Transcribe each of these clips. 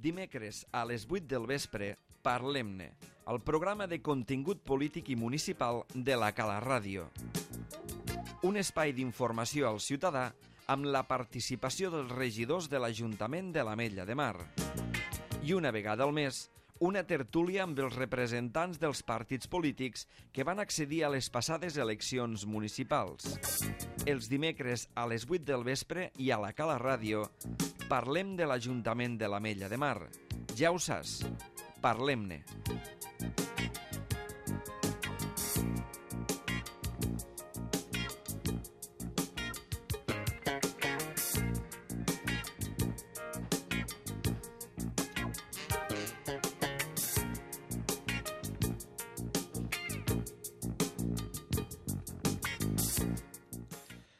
Dimecres a les 8 del vespre, Parlem-ne, el programa de contingut polític i municipal de la Cala Ràdio. Un espai d'informació al ciutadà amb la participació dels regidors de l'Ajuntament de l'Ametlla de Mar. I una vegada al mes, una tertúlia amb els representants dels partits polítics que van accedir a les passades eleccions municipals. Els dimecres a les 8 del vespre i a la Cala Ràdio parlem de l'Ajuntament de l'Ametlla de Mar. Ja ho saps, parlem-ne.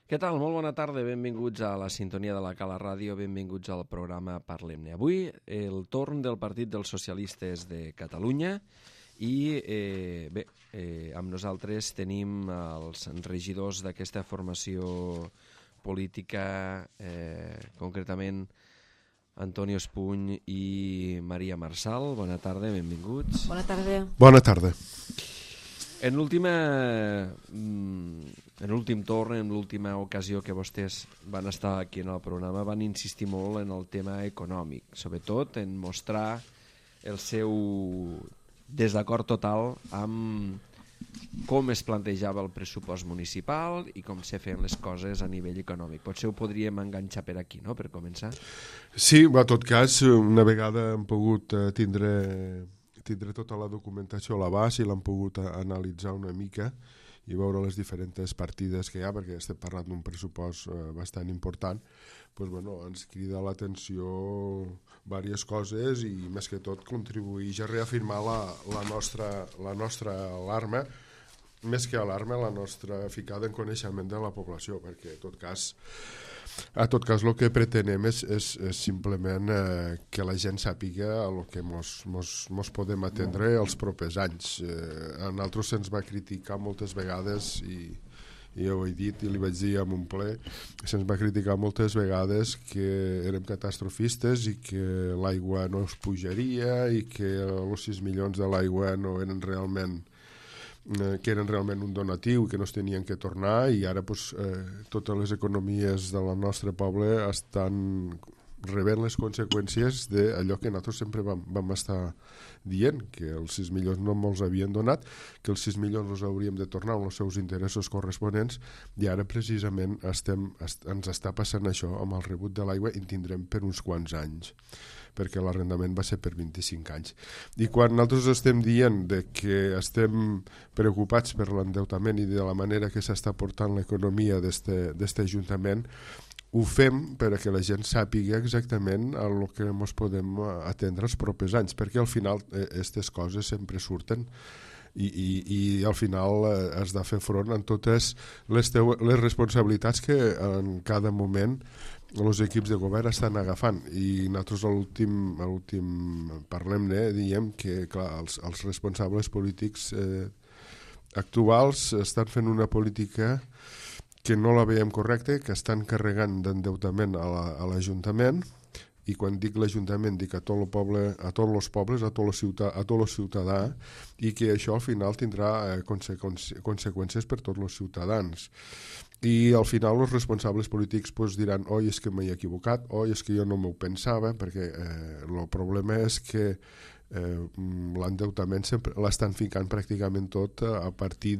Què tal? Molt bona tarda, benvinguts a la sintonia de la Cala Ràdio, benvinguts al programa Parlem-ne. Avui el torn del Partit dels Socialistes de Catalunya i amb nosaltres tenim els regidors d'aquesta formació política, concretament Antonio Espuny i Maria Marçal. Bona tarda, benvinguts. Bona tarda. Bona tarda. En l'últim torn, en l'última ocasió que vostès van estar aquí en el programa, van insistir molt en el tema econòmic, sobretot en mostrar el seu desacord total amb com es plantejava el pressupost municipal i com se feien les coses a nivell econòmic. Potser ho podríem enganxar per aquí, no?, per començar. Sí, en tot cas, una vegada hem pogut tindre tota la documentació a l'abast i l'hem pogut analitzar una mica i veure les diferents partides que hi ha, perquè estem parlant d'un pressupost bastant important, doncs, ens crida l'atenció diverses coses i més que tot contribueix a reafirmar la nostra alarma, més que alarma, la nostra ficada en coneixement de la població, perquè en tot cas el que pretenem és simplement que la gent sàpiga el que mos podem atendre els propers anys. A nosaltres se'ns va criticar moltes vegades i jo ho he dit i li vaig dir en un ple, se'ns va criticar moltes vegades que érem catastrofistes i que l'aigua no es pujaria i que els 6 milions de l'aigua no eren realment un donatiu que no es tenien que tornar i ara totes les economies del nostre poble estan rebent les conseqüències d'allò que nosaltres sempre vam estar dient, que els 6 milions no ens havien donat, que els 6 milions els hauríem de tornar amb els seus interessos corresponents i ara precisament ens està passant això amb el rebut de l'aigua i en tindrem per uns quants anys, perquè l'arrendament va ser per 25 anys. I quan nosaltres estem dient que estem preocupats per l'endeutament i de la manera que s'està portant l'economia d'este Ajuntament, ho fem perquè la gent sàpiga exactament el que ens podem atendre els propers anys, perquè al final aquestes coses sempre surten i al final has de fer front a totes les responsabilitats que en cada moment els equips de govern estan agafant i nosaltres a l'últim Parlem-ne diem que clar, els responsables polítics actuals estan fent una política que no la veiem correcta, que estan carregant d'endeutament a l'Ajuntament i quan dic l'Ajuntament dic a tot el poble, a tots els pobles, a tot el ciutadà i que això al final tindrà conseqüències per tots els ciutadans. I al final els responsables polítics diran oi, és que m'he equivocat, oi, és que jo no m'ho pensava, perquè el problema és que l'endeutament sempre l'estan ficant pràcticament tot a partir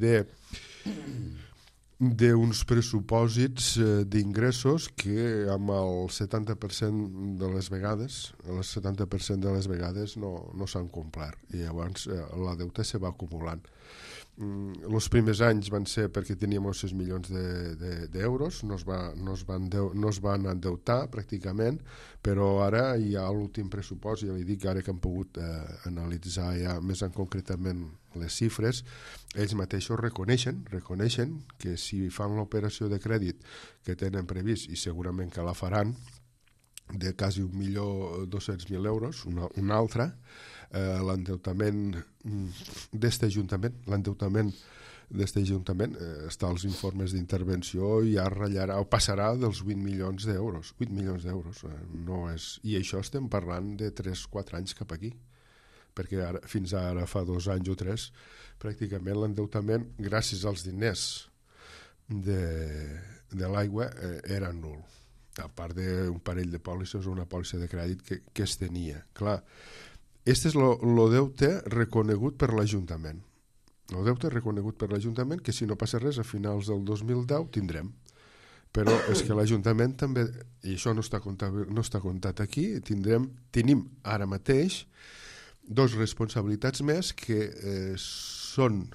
d'uns pressupòsits d'ingressos que amb el 70% de les vegades no s'han complert i llavors la deuta se va acumulant. Els primers anys van ser perquè teníem 6 milions d'euros, no es van endeutar pràcticament, però ara hi ha l'últim pressupost, ja li dic ara que hem pogut analitzar ja més en concretament les xifres, ells mateixos reconeixen que si fan l'operació de crèdit que tenen previst, i segurament que la faran, de quasi 1.200.000 euros, una altra, l'endeutament d'este Ajuntament, l'endeutament d'este Ajuntament, està als informes d'intervenció i ja ratllarà, o passarà dels 8 milions d'euros. 8 milions d'euros. No és... I això estem parlant de 3-4 anys cap aquí, perquè ara, fins ara fa 2 anys o 3, pràcticament l'endeutament, gràcies als diners de l'aigua, era nul. A part d'un parell de pòlisses o una pòlissa de crèdit que es tenia. Clar, este és el deute reconegut per l'Ajuntament. El deute reconegut per l'Ajuntament, que si no passa res a finals del 2010 tindrem. Però és que l'Ajuntament també, i això no està comptat aquí, tenim ara mateix 2 responsabilitats més que són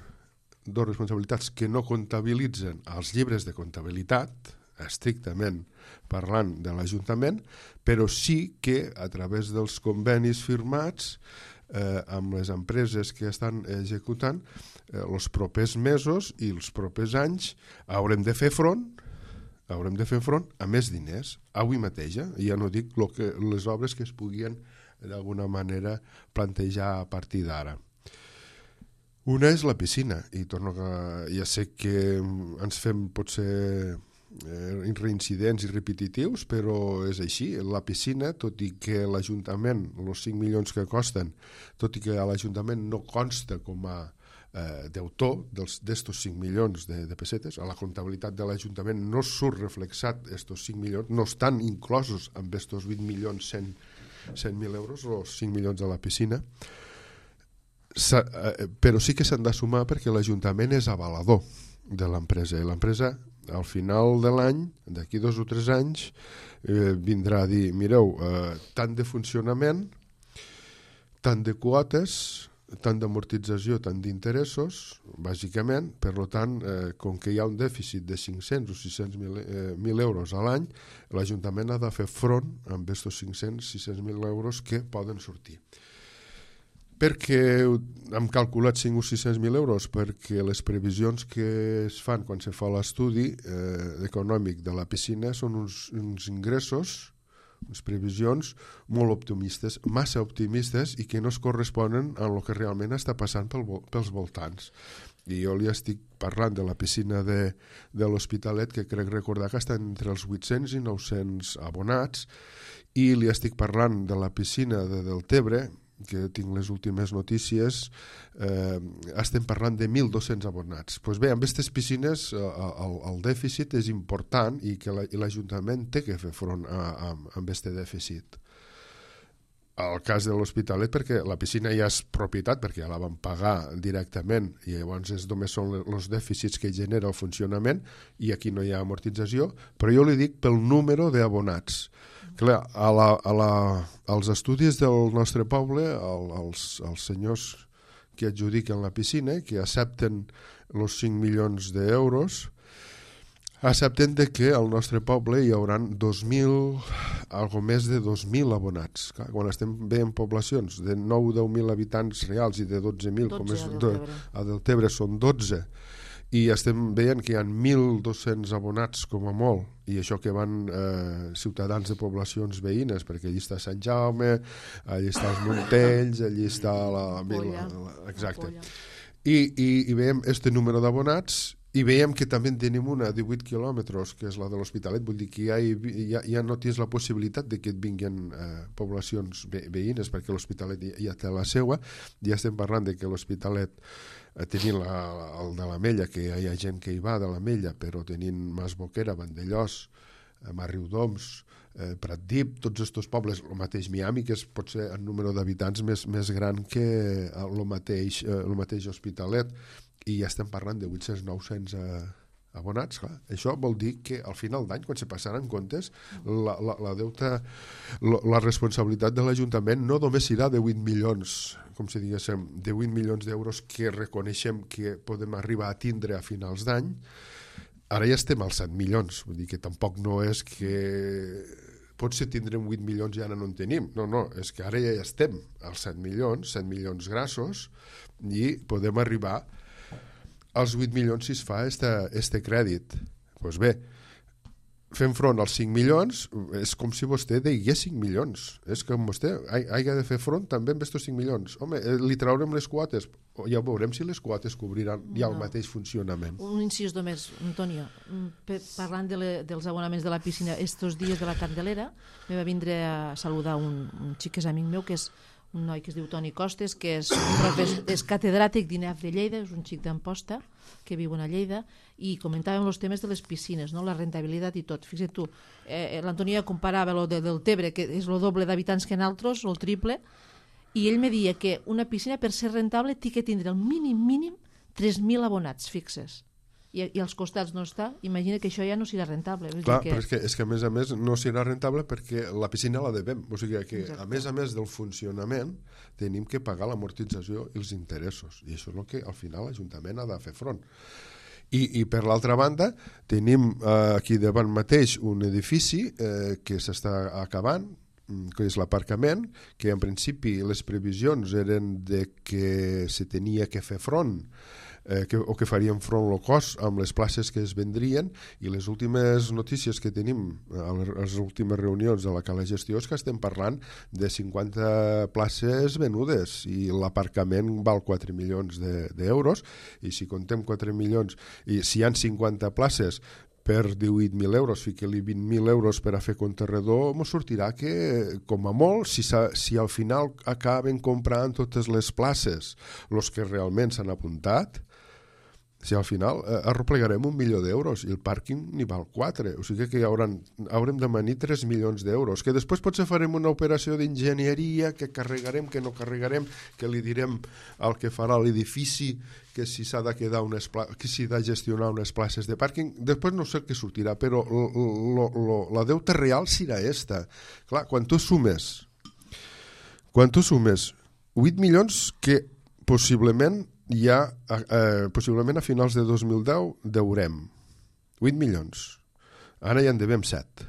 2 responsabilitats que no comptabilitzen als llibres de comptabilitat, estrictament parlant de l'Ajuntament, però sí que a través dels convenis firmats amb les empreses que estan executant, els propers mesos i els propers anys haurem de fer front a més diners, avui mateix, ja no dic les obres que es puguin d'alguna manera plantejar a partir d'ara. Una és la piscina, i ja sé que ens fem potser reincidents i repetitius, però és així. La piscina, tot i que l'Ajuntament, els 5 milions que costen, tot i que a l'Ajuntament no consta com a deutor d'estos 5 milions de pessetes, a la comptabilitat de l'Ajuntament no surt reflexat estos 5 milions, no estan inclosos amb estos 8 milions 100.000 euros, els 5 milions de la piscina, però sí que s'han de sumar perquè l'Ajuntament és avalador de l'empresa, i l'empresa al final de l'any, d'aquí 2 o 3 anys, vindrà a dir, mireu, tant de funcionament, tant de quotes, tant d'amortització, tant d'interessos, bàsicament, per tant, com que hi ha un dèficit de 500 o 600.000 euros a l'any, l'Ajuntament ha de fer front amb aquests 500-600.000 euros que poden sortir. Per què hem calculat 5 o 600.000 euros? Perquè les previsions que es fan quan se fa l'estudi econòmic de la piscina són uns ingressos, unes previsions molt optimistes, massa optimistes, i que no es corresponen a el que realment està passant pels voltants. I jo li estic parlant de la piscina de l'Hospitalet, que crec recordar que està entre els 800 i 900 abonats, i li estic parlant de la piscina de Deltebre, que tinc les últimes notícies, estem parlant de 1.200 abonats. Doncs bé, amb aquestes piscines el dèficit és important i que l'Ajuntament té que fer front amb aquest dèficit. El cas de l'Hospitalet, perquè la piscina ja és propietat, perquè ja la van pagar directament, i llavors només són els dèficits que genera el funcionament, i aquí no hi ha amortització, però jo li dic pel número d'abonats. Clar, als estudis del nostre poble, els senyors que adjudiquen la piscina, que accepten els 5 milions d'euros, accepten que al nostre poble hi haurà 2.000, algo més de 2.000 abonats. Clar, quan estem veient poblacions de 9-10.000 habitants reals i de 12.000, com és a Deltebre són 12, i estem veient que hi ha 1.200 abonats com a molt, i això que van ciutadans de poblacions veïnes, perquè allí està Sant Jaume, allí està els Montells, allí està la Vila, exacte. I veiem este número d'abonats, i veiem que també tenim una a 18 quilòmetres, que és la de l'Hospitalet, vull dir que ja no tens la possibilitat de que et vinguin poblacions veïnes, perquè l'Hospitalet ja té la seua. Ja estem parlant de que l'Hospitalet tenint el de l'Ametlla, que hi ha gent que hi va de l'Ametlla, però tenint Mas Boquera, Vandellós, Riudoms, Pratdip, tots aquests pobles, el mateix Miami, que és potser el número d'habitants més gran que el mateix Hospitalet, i ja estem parlant de 800-900 abonats. Clar. Això vol dir que al final d'any, quan se passaran comptes, la responsabilitat de l'Ajuntament no només serà de 8 milions, com si diguéssim, de 8 milions d'euros que reconeixem que podem arribar a tindre a finals d'any. Ara ja estem als 7 milions, vull dir que tampoc no és que potser tindrem 8 milions i ara no en tenim. No, és que ara ja estem als 7 milions grassos, i podem arribar als 8 milions si es fa este crèdit. Doncs bé, fent front als 5 milions, és com si vostè degués 5 milions. És com vostè hagi de fer front també amb aquests 5 milions. Home, li traurem les quotes, ja veurem si les quotes cobriran ja el mateix funcionament. Un incís només, Antonio, parlant dels abonaments de la piscina, estos dies de la Candelera, me va vindre a saludar un xic que és amic meu, que és un noi que es diu Toni Costes, que és catedràtic d'INEF de Lleida, és un xic d'Amposta, que viu a Lleida, i comentàvem els temes de les piscines, no? La rentabilitat i tot. Fixa't tu, l'Antonia comparava lo del Tebre, que és el doble d'habitants que en altres, o el triple, i ell me deia que una piscina, per ser rentable, té que tindre el mínim 3.000 abonats fixes. I als costats no està, imagina que això ja no serà rentable. Clar, però és que a més no serà rentable perquè la piscina la devem. O sigui que a més del funcionament tenim que pagar l'amortització i els interessos. I això és el que al final l'Ajuntament ha de fer front. I per l'altra banda tenim aquí davant mateix un edifici que s'està acabant, que és l'aparcament, que en principi les previsions eren de que se tenia que fer front o que farien front low cost amb les places que es vendrien, i les últimes notícies que tenim a les últimes reunions de la Cala Gestió és que estem parlant de 50 places venudes i l'aparcament val 4 milions d'euros, i si contem 4 milions i si hi ha 50 places per 18.000 euros, fique-li 20.000 euros per a fer conterredor, ens sortirà que, com a molt, si al final acaben comprant totes les places els que realment s'han apuntat, si al final arreplegarem 1 milió d'euros i el pàrquing n'hi val 4, o sigui que haurem de manir 3 milions d'euros, que després potser farem una operació d'enginyeria, que carregarem, que no carregarem, que li direm al que farà l'edifici que si s'ha de quedar que s'hi ha de gestionar unes places de pàrquing, després no sé què sortirà, però la deuta real serà esta. Clar, quan tu sumes 8 milions que possiblement possiblement a finals de 2010 deurem 8 milions, ara ja en devem 7,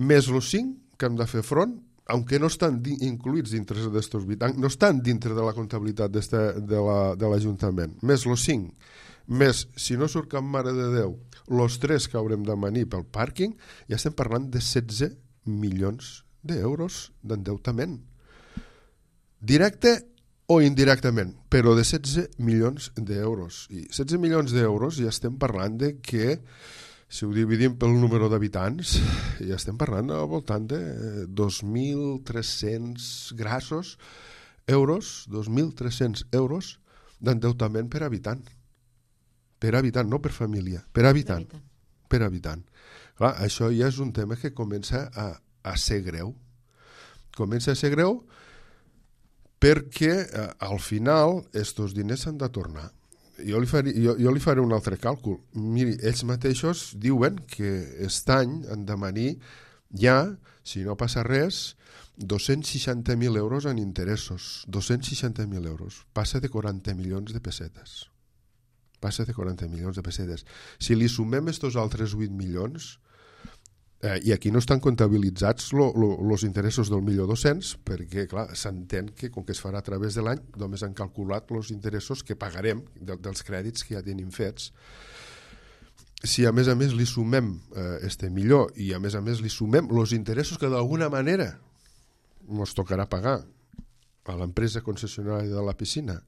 més els 5 que hem de fer front, aunque no estan incluïts dintre d'estos 8, no estan dintre de la comptabilitat de l'Ajuntament, més els 5, més, si no surt cap mare de Déu, els 3 que haurem de manir pel pàrquing, ja estem parlant de 16 milions d'euros d'endeutament directe o indirectament, però de 16 milions d'euros. I 16 milions d'euros ja estem parlant de que, si ho dividim pel número d'habitants, ja estem parlant al voltant de 2.300 grassos euros, 2.300 euros d'endeutament per habitant. Per habitant, no per família, per habitant. Per habitant. Clar, això ja és un tema que comença a ser greu. Comença a ser greu perquè al final estos diners s'han de tornar. Jo li faré un altre càlcul. Miri, ells mateixos diuen que aquest any han de manir ja, si no passa res, 260.000 euros en interessos. 260.000 euros. Passa de 40 milions de pessetes. Passa de 40 milions de pessetes. Si li sumem estos altres 8 milions, i aquí no estan comptabilitzats els interessos del 1.200.000, perquè clar, s'entén que com que es farà a través de l'any només han calculat els interessos que pagarem dels crèdits que ja tenim fets. Si a més li sumem este millor i a més li sumem els interessos que d'alguna manera ens tocarà pagar a l'empresa concessionària de la piscina,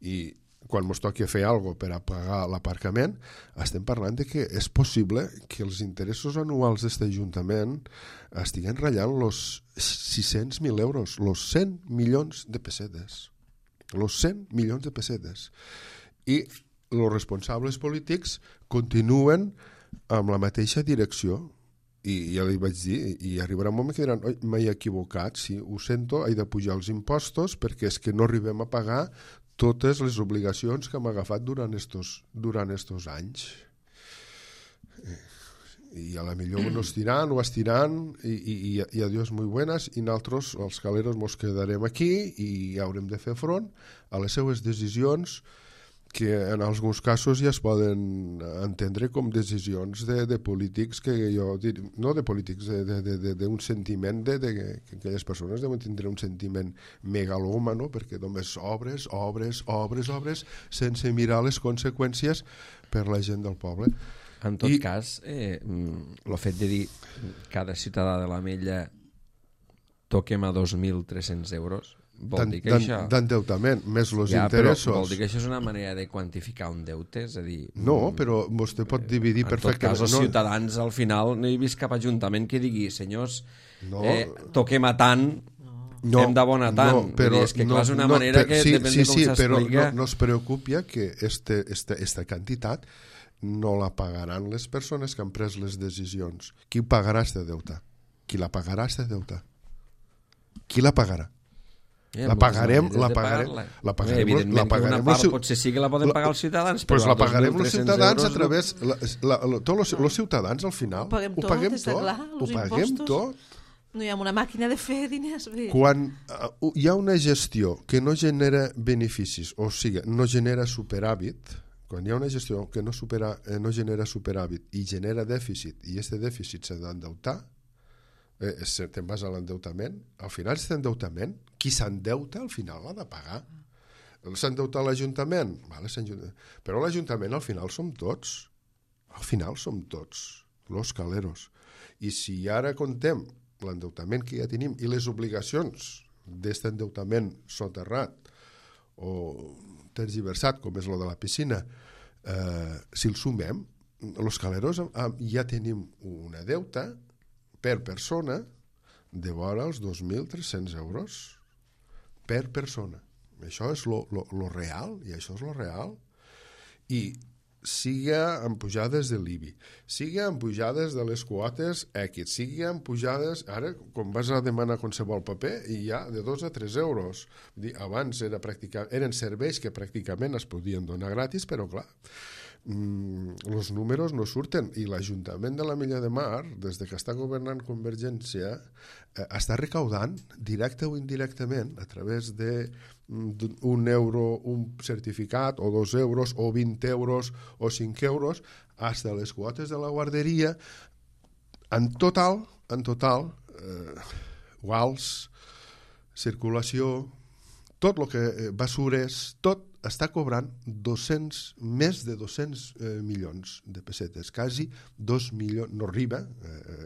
i quan ens toqui fer alguna cosa per a pagar l'aparcament, estem parlant de que és possible que els interessos anuals d'aquest Ajuntament estiguen ratllant els 600.000 euros, els 100 milions de pessetes. Els 100 milions de pessetes. I els responsables polítics continuen amb la mateixa direcció. I ja li vaig dir, i arribarà un moment que diran, oi, m'he equivocat, sí, ho sento, he de pujar els impostos perquè és que no arribem a pagar totes les obligacions que hem agafat durant estos anys. I a la millor no estiran o estiran i adiós muy buenas, i nosaltres, els caleros, ens quedarem aquí i haurem de fer front a les seues decisions, que en alguns casos ja es poden entendre com decisions de polítics, que jo diria, no de polítics, d'un sentiment que aquelles persones deuen tindre un sentiment megalòmano, perquè només obres, sense mirar les conseqüències per la gent del poble. En tot cas, el fet de dir cada ciutadà de l'Ametlla toquem a 2.300 euros, vol dir que això... D'endeutament, més els interessos. Però vol dir que això és una manera de quantificar un deute? És a dir... No, però vostè pot dividir perfectament. En tot cas, els ciutadans, al final, no he vist cap ajuntament que digui, senyors, toquem a tant... hem d'abonar tant. No, però, és que clar, és una manera que depèn de com s'explica. Però no es preocupi que esta quantitat no la pagaran les persones que han pres les decisions. Qui pagarà este deute? Qui la pagarà este deute? Qui la pagarà? La pagarem evidentment que una part potser sí que la poden pagar els ciutadans, però la pagarem els ciutadans a través tots els ciutadans al final ho paguem tot. No hi ha una màquina de fer diners. Quan hi ha una gestió que no genera beneficis, o sigui, no genera superàvit, quan hi ha una gestió que no genera superàvit i genera dèficit, i aquest dèficit s'ha d'endeutar, te'n vas a l'endeutament, al final aquest endeutament, qui s'endeuta al final l'ha de pagar. S'endeuta l'Ajuntament, però l'Ajuntament al final som tots, los caleros. I si ara contem l'endeutament que ja tenim i les obligacions d'aquest endeutament soterrat o tergiversat, com és lo de la piscina, si el sumem, los caleros ja tenim una deuta per persona de vora els 2.300 euros per persona. Això és lo real, i això és lo real. I siga amb pujades de l'IBI, siga amb pujades de les quotes X, siga amb pujades... Ara, quan vas a demanar qualsevol paper, hi ha de 2 a 3 euros. Abans eren serveis que pràcticament es podien donar gratis, però clar, els números no surten, i l'Ajuntament de l'Ametlla de Mar, des que està governant Convergència, està recaudant directe o indirectament a través d'un euro un certificat, o 2 euros, o 20 euros, o 5 euros, fins a les quotes de la guarderia. En total, guals, circulació, tot el que basures, tot està cobrant més de 200 milions de pessetes, quasi 2 milions, no arriba,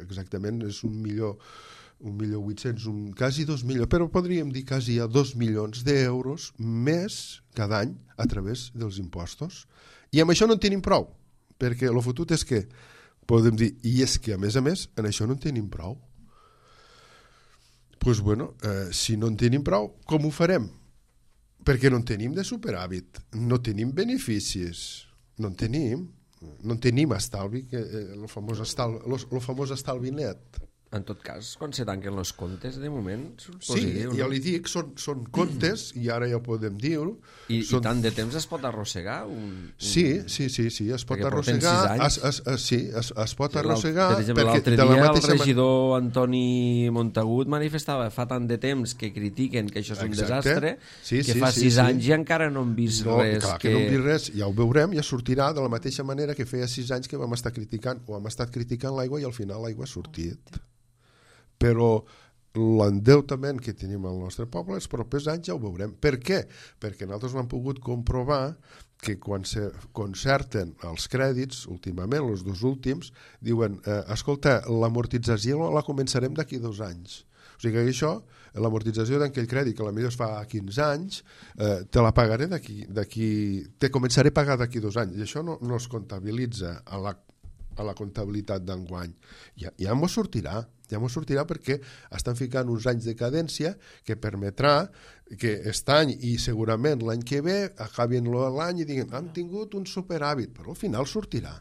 exactament és 1.800.000, quasi 2 milions, però podríem dir quasi a 2 milions d'euros més cada any a través dels impostos. I amb això no en tenim prou, perquè el fotut és que podem dir, i és que a més, en això no en tenim prou. Doncs bueno, si no en tenim prou, com ho farem? Perquè no en tenim de superàvit, no tenim beneficis, no en tenim estalvi, el famós estalvi net. En tot cas, quan se tanquen els comptes, de moment, surt Sí, positiu. ja li dic, són comptes, i ara ja podem dir-ho. I tant de temps es pot arrossegar? Sí, es pot arrossegar. Es pot arrossegar. Per exemple, l'altre dia el regidor Antoni Montagut manifestava fa tant de temps que critiquen que això és un desastre, que fa 6 anys i encara no hem vist res. Clar que no hem vist res, ja ho veurem, ja sortirà de la mateixa manera que feia 6 anys que vam estar criticant, o hem estat criticant l'aigua, i al final l'aigua ha sortit. Però l'endeutament que tenim al nostre poble els propers anys ja ho veurem. Per què? Perquè nosaltres hem pogut comprovar que quan se concerten els crèdits, últimament, els 2 últims, diuen, escolta, l'amortització la començarem d'aquí 2 anys. O sigui que això, l'amortització d'aquell crèdit, que potser es fa 15 anys, te la pagaré te començaré a pagar d'aquí 2 anys. I això no es comptabilitza a la comptabilitat d'enguany. Ja m'ho sortirà perquè estan ficant uns anys de cadència que permetrà que aquest any i segurament l'any que ve acabin l'any i diguin han tingut un superàvit, però al final sortirà,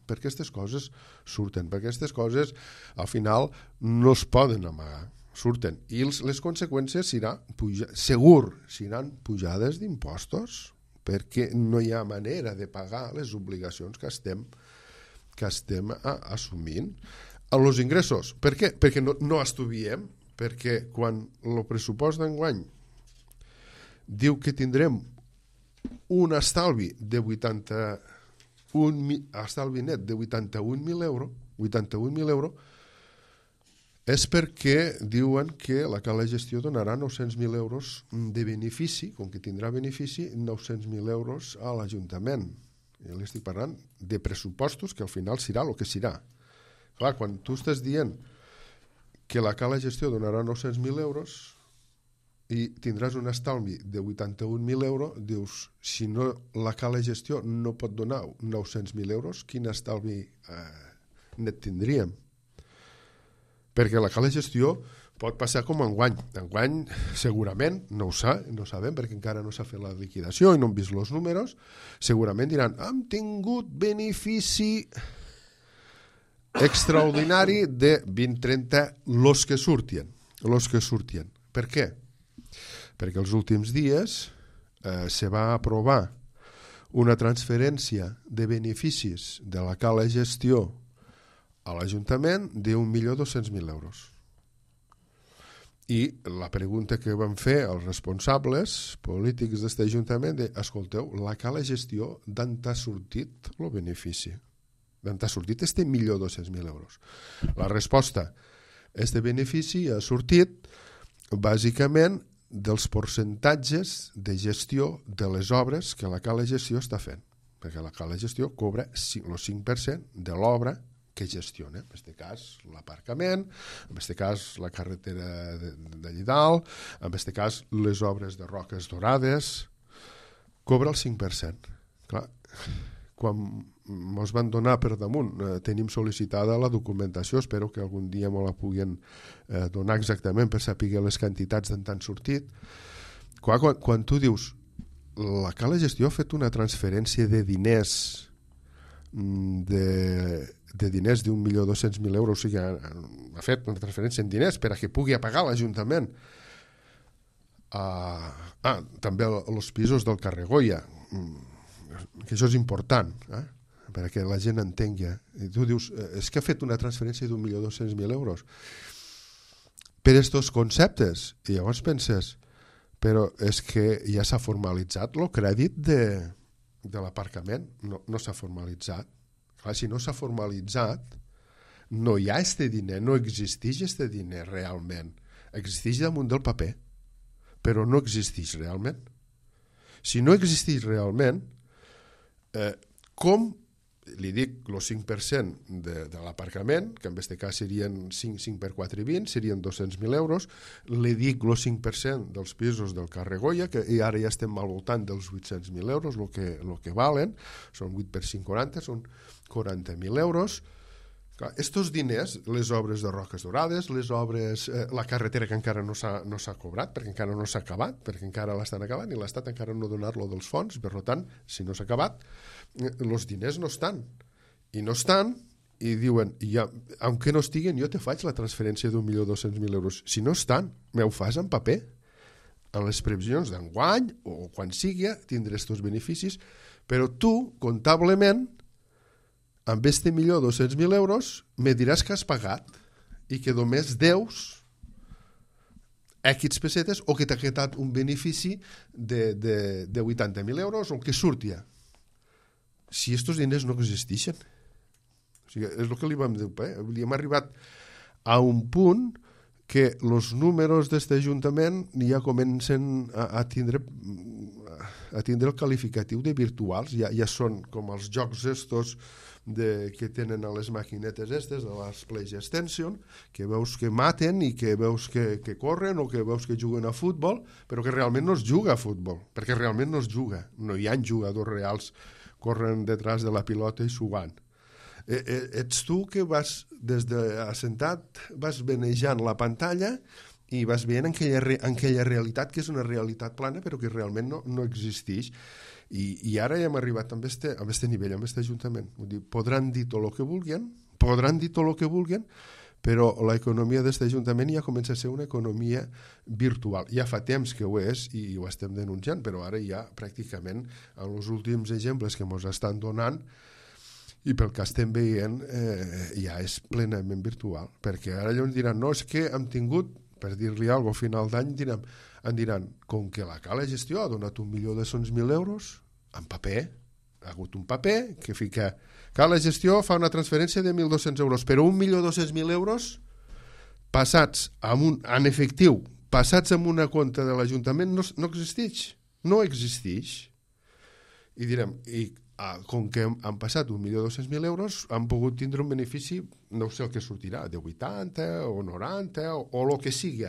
perquè aquestes coses surten, perquè aquestes coses al final no es poden amagar, surten, i les conseqüències seran pujades d'impostos, perquè no hi ha manera de pagar les obligacions que estem assumint. A los ingressos, per què? Perquè no estudiem, perquè quan el pressupost d'enguany diu que tindrem un estalvi net de 81.000 euros, és perquè diuen que la Cala Gestió donarà 900.000 euros de benefici, com que tindrà benefici, 900.000 euros a l'Ajuntament. Jo li estic parlant de pressupostos que al final serà el que serà. Clar, quan tu estàs dient que la cala gestió donarà 900.000 euros i tindràs un estalvi de 81.000 euros, dius, si no la cala gestió no pot donar 900.000 euros, quin estalvi net tindríem? Perquè la cala gestió pot passar com enguany. Enguany, segurament, no sabem, perquè encara no s'ha fet la liquidació i no hem vist els números, segurament diran, hem tingut benefici extraordinari de 20-30 los que surtien. Per què? Perquè els últims dies se va aprovar una transferència de beneficis de la cala gestió a l'Ajuntament d'1.200.000 euros. I la pregunta que van fer els responsables polítics d'aquest Ajuntament de, escolteu, la cala gestió d'on t'ha sortit el benefici? D'on t'ha sortit este 1.200.000 euros? La resposta, este benefici ha sortit bàsicament dels percentatges de gestió de les obres que la cala gestió està fent, perquè la cala gestió cobra el 5% de l'obra que gestiona, en aquest cas l'aparcament, en aquest cas la carretera de Llidal, en aquest cas les obres de Roques Dorades, cobra el 5%. Clar, quan ens van donar per damunt, tenim sol·licitada la documentació, espero que algun dia me la puguin donar exactament per saber les quantitats d'on t'han sortit. Quan tu dius la cala gestió ha fet una transferència de diners de diners d'1.200.000 euros, o sigui, ha fet una transferència en diners per a que pugui pagar l'Ajuntament. També els pisos del carrer Goya, que això és important, perquè la gent entengui. I tu dius, és que ha fet una transferència d'1.200.000 euros per estos conceptes, i llavors penses, però és que ja s'ha formalitzat el crèdit de l'aparcament, no s'ha formalitzat. Clar, si no s'ha formalitzat, no hi ha este diner, no existeix este diner realment. Existeix damunt del paper, però no existeix realment. Si no existeix realment, com li dic el 5% de l'aparcament, que en aquest cas serien 5 per 4 i 20, serien 200.000 euros, li dic el 5% dels pisos del carrer Goya, que ara ja estem al voltant dels 800.000 euros, el que valen, són 8 per 5, 40, són 40.000 euros. Estos diners, les obres de Roques Dorades, les obres, la carretera que encara no s'ha cobrat, perquè encara no s'ha acabat, perquè encara l'estan acabant i l'Estat encara no ha donat-lo dels fons, per tant, si no s'ha acabat, els diners no estan. I no estan, i diuen, aunque no estiguen, jo te faig la transferència d'1.200.000 euros. Si no estan, m'ho fas en paper. En les previsions d'enguany, o quan sigui, tindré estos beneficis, però tu, comptablement, amb este 1.200.000 euros me diràs que has pagat i que només deus X pessetes o que t'ha quedat un benefici de 80.000 euros o que surtia. Si estos diners no existeixen. O sigui, és el que li vam dir. Hem arribat a un punt que els números d'aquest Ajuntament ja comencen a tindre el qualificatiu de virtuals. Ja són com els jocs estos que tenen a les maquinetes estes de les PlayStation, que veus que maten i que veus que corren o que veus que juguen a futbol, però que realment no es juga a futbol, perquè realment no es juga, no hi ha jugadors reals corren detrás de la pilota i sugant. Ets tu que vas des d'assentat, vas venejant la pantalla i vas veient aquella realitat que és una realitat plana però que realment no existeix. I ara ja hem arribat a aquest nivell, a aquest Ajuntament. Vull dir, podran dir tot el que vulguin, però l'economia d'aquest Ajuntament ja comença a ser una economia virtual. Ja fa temps que ho és i ho estem denunciant, però ara ja pràcticament en els últims exemples que ens estan donant i pel que estem veient ja és plenament virtual, perquè ara llavors diran, no, és que hem tingut, per dir-li alguna cosa a final d'any, em diran, com que la cala gestió ha donat 1.200.000 euros en paper, ha hagut un paper que fica, cala gestió fa una transferència de 1.200 euros, però 1.200.000 euros passats en efectiu, passats en una compte de l'Ajuntament no existeix, no existeix. I direm, i com que han passat 1.200.000 euros, han pogut tindre un benefici, no sé el que sortirà, de 80 o 90 o el que sigui,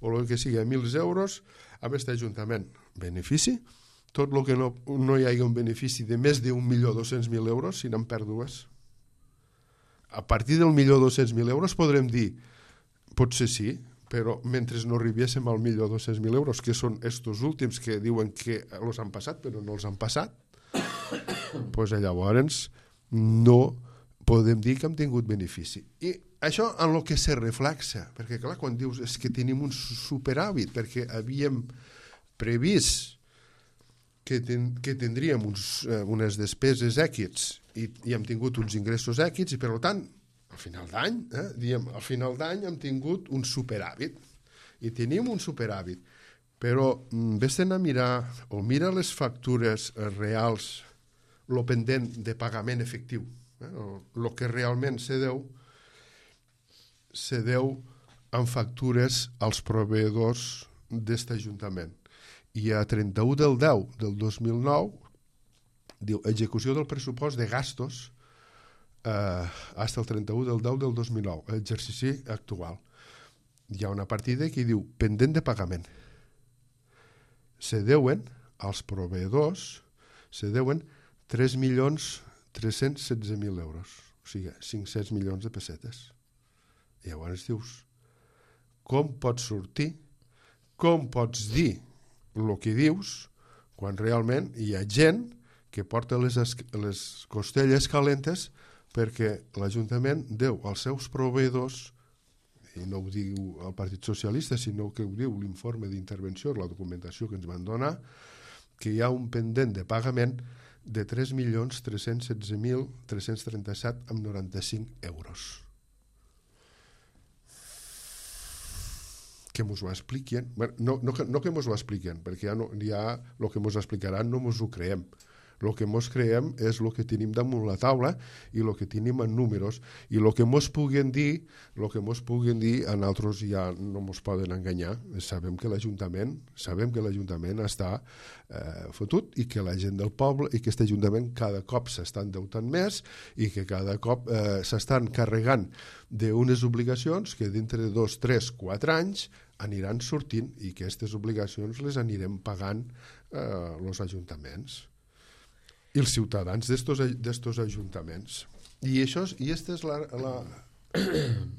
1.000 euros amb aquest Ajuntament. Benefici? Tot el que no hi hagi un benefici de més de 1.200.000 euros, si n'han pèrdues. A partir del 1.200.000 euros podrem dir, potser sí, però mentre no arribéssim al 1.200.000 euros, que són estos últims que diuen que els han passat però no els han passat, doncs llavors no podem dir que hem tingut benefici. I això en el que se reflexa, perquè clar, quan dius és que tenim un superàvit, perquè havíem previst que tindríem unes despeses èquits i hem tingut uns ingressos èquits i per tant al final d'any hem tingut un superàvit i tenim un superàvit, però vés-te'n a mirar o mira les factures reals, el pendent de pagament efectiu, el que realment se deu en factures als proveïdors d'aquest Ajuntament. I a 31 del 10 del 2009 diu execució del pressupost de gastos fins al 31 del 10 del 2009, l'exercici actual. Hi ha una partida que diu pendent de pagament. Se deuen als proveïdors 3.316.000 euros, o sigui, 500 milions de pessetes. I llavors dius, com pots sortir, com pots dir el que dius quan realment hi ha gent que porta les costelles calentes perquè l'Ajuntament deu als seus proveïdors, i no ho diu el Partit Socialista, sinó que ho diu l'informe d'intervenció, la documentació que ens van donar, que hi ha un pendent de pagament de 3.316.337,95 euros. Que ens ho expliquen, no que ens ho expliquen, perquè ja el que ens explicaran no ens ho creiem. El que ens creiem és el que tenim damunt la taula i el que tenim en números, i el que ens puguen dir a nosaltres ja no ens poden enganyar. Sabem que l'Ajuntament està fotut i que la gent del poble i que aquest Ajuntament cada cop s'està endeutant més i que cada cop s'estan carregant d'unes obligacions que dintre de 2, 3, 4 anys aniran sortint i que aquestes obligacions les anirem pagant els ajuntaments i els ciutadans d'estos ajuntaments. I aquesta és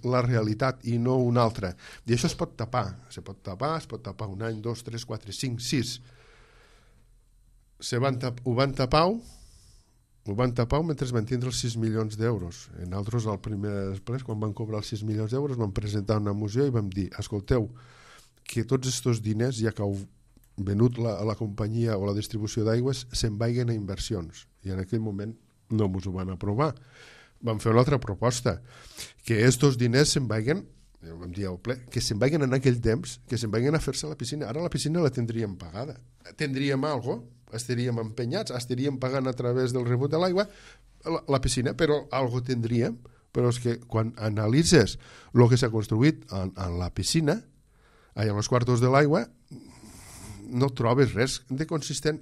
la realitat i no una altra. I això es pot tapar. Es pot tapar un any, 2, 3, 4, 5, 6. Ho van tapar mentre van tindre els 6 milions d'euros. Nosaltres, al primer després, quan van cobrar els 6 milions d'euros, vam presentar una moció i vam dir, escolteu, que tots aquests diners, ja que heu venut la companyia o la distribució d'aigües, se'n vagin a inversions. I en aquell moment no ens ho van aprovar. Vam fer una altra proposta, que aquests diners se'n vagin, vam dir al ple, que se'n vagin en aquell temps, que se'n vagin a fer-se a la piscina. Ara la piscina la tindríem pagada. Tindríem alguna cosa, estaríem empenyats, estaríem pagant a través del rebut de l'aigua la piscina, però alguna cosa tindríem. Però és que quan analitzes el que s'ha construït en la piscina, en els quartos de l'aigua, no trobes res de consistent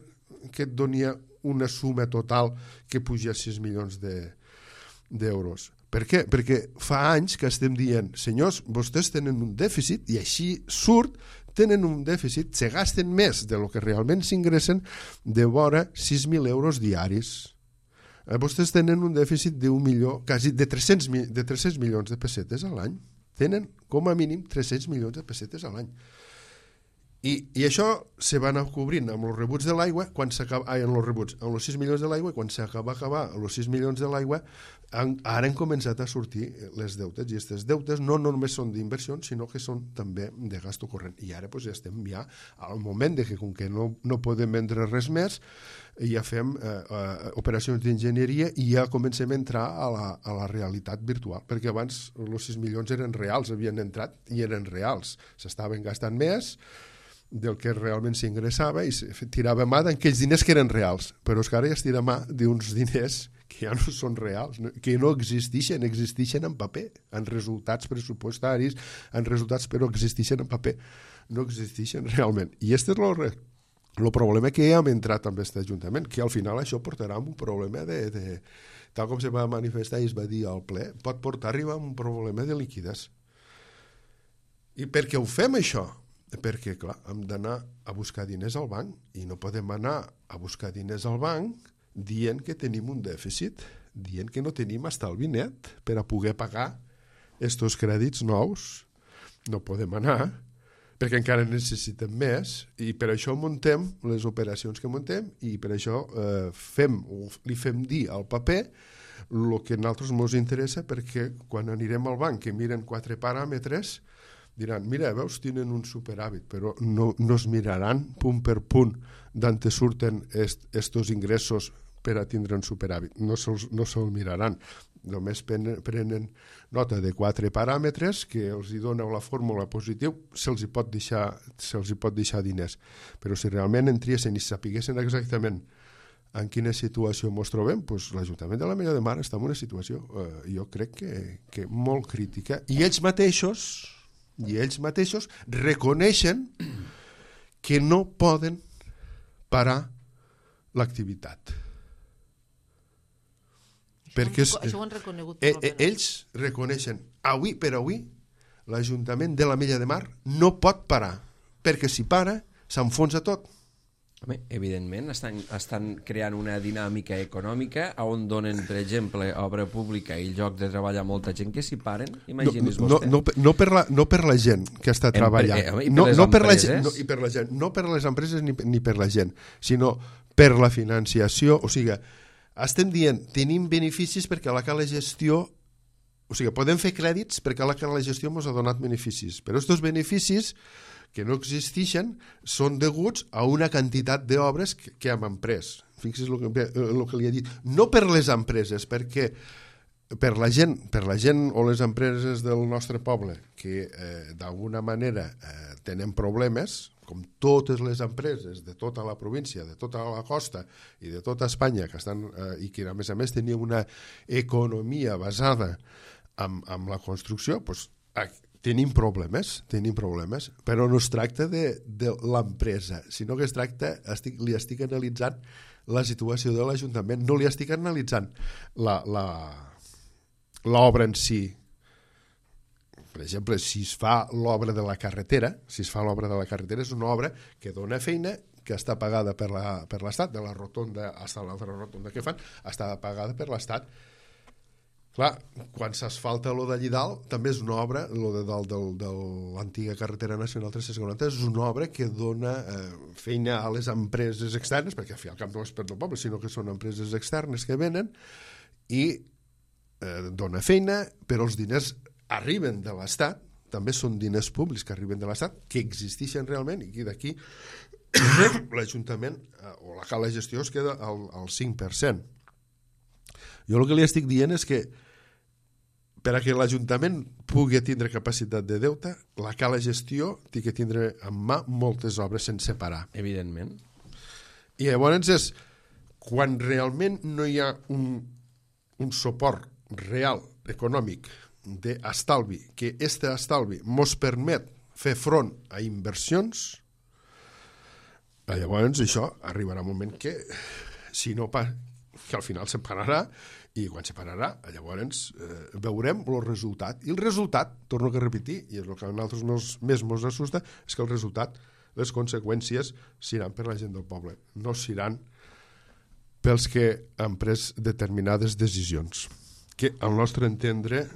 que et doni una suma total que puja a 6 milions d'euros. Per què? Perquè fa anys que estem dient, senyors, vostès tenen un dèficit, i així surt, tenen un dèficit, se gasten més de lo que realment s'ingressen de vora 6.000 euros diaris. Vostès tenen un dèficit d'1 milió, quasi de 300 milions de pessetes a l'any. Tenen com a mínim 300 milions de pessetes a l'any. I això se va anar cobrint amb els rebuts de l'aigua, amb els 6 milions de l'aigua, i quan s'acaba els 6 milions de l'aigua, ara han començat a sortir les deutes, i aquestes deutes no només són d'inversions, sinó que són també de gasto corrent. I ara ja estem al moment que, com que no podem vendre res més, ja fem operacions d'enginyeria i ja comencem a entrar a la realitat virtual, perquè abans els 6 milions eren reals, havien entrat i eren reals, s'estaven gastant més del que realment s'ingressava i tirava mà d'aquells diners que eren reals, però és que ara ja es tira mà d'uns diners que ja no són reals, que no existeixen en paper, en resultats pressupostaris, en resultats, però existeixen en paper, no existeixen realment. I aquesta és El problema que hem entrat amb aquest Ajuntament, que al final això portarà un problema tal com se va manifestar i es va dir al ple, pot portar a arribar a un problema de liquiditat. I per què ho fem això? Perquè, clar, hem d'anar a buscar diners al banc i no podem anar a buscar diners al banc dient que tenim un dèficit, dient que no tenim estalvi net per a poder pagar estos crèdits nous. No podem anar, perquè encara necessitem més, i per això muntem les operacions que muntem i per això li fem dir al paper el que a nosaltres ens interessa, perquè quan anirem al banc que miren 4 paràmetres diran, mira, veus, tenen un superàvit, però no es miraran punt per punt d'on surten estos ingressos per a tindre un superàvit. No se'ls miraran. Només prenen nota de 4 paràmetres que els dona la fórmula positiva, se'ls hi pot deixar diners. Però si realment entriessin i sapiguessin exactament en quina situació ens trobem, doncs l'Ajuntament de l'Ametlla de Mar està en una situació, jo crec que molt crítica. I ells mateixos reconeixen que no poden parar l'activitat. Perquè això ho han reconegut. Ells reconeixen, avui per avui, l'Ajuntament de l'Ametlla de Mar no pot parar, perquè si para, s'enfonsa tot. Home, evidentment, estan creant una dinàmica econòmica on donen, per exemple, obra pública i lloc de treball a molta gent que s'hi paren. Imagini's vostè. No per la gent que està treballant. No per les empreses ni per la gent, sinó per la financiació. O sigui, estem dient, tenim beneficis perquè la cala gestió, o sigui, podem fer crèdits perquè la cala gestió ens ha donat beneficis, però aquests beneficis que no existeixen són deguts a una quantitat d'obres que hem emprès. Fixi's el que li he dit. No per les empreses, perquè per la gent o les empreses del nostre poble que d'alguna manera tenen problemes, com totes les empreses de tota la província, de tota la costa i de tota Espanya, que estan i que a més tenien una economia basada en la construcció, doncs tenim problemes, però no es tracta de l'empresa, sinó que es tracta, li estic analitzant la situació de l'Ajuntament, no li estic analitzant l'obra en si. Per exemple, si es fa l'obra de la carretera, és una obra que dona feina, que està pagada per l'Estat, de la rotonda fins a l'altra rotonda que fan, està pagada per l'Estat. Clar, quan s'asfalta lo d'allí dalt, també és una obra, lo de dalt de l'antiga carretera nacional 340, és una obra que dona feina a les empreses externes, perquè al fi al cap no és per tot el poble, sinó que són empreses externes que venen, i dona feina, però els diners arriben de l'Estat, també són diners públics que arriben de l'Estat, que existeixen realment, i d'aquí l'Ajuntament o la gestió es queda al 5%. Jo el que li estic dient és que per a que l'Ajuntament pugui tindre capacitat de deute, la cala gestió té que tindre en mà moltes obres sense parar. Evidentment. I llavors és quan realment no hi ha un suport real, econòmic, d'estalvi, que este estalvi mos permet fer front a inversions, llavors això arribarà un moment que si no que al final separarà, i quan separarà, llavors veurem el resultat. I el resultat, torno a repetir, i és el que a nosaltres més ens assusta, és que el resultat, les conseqüències, seran per la gent del poble, no seran pels que han pres determinades decisions. Que al nostre entendre,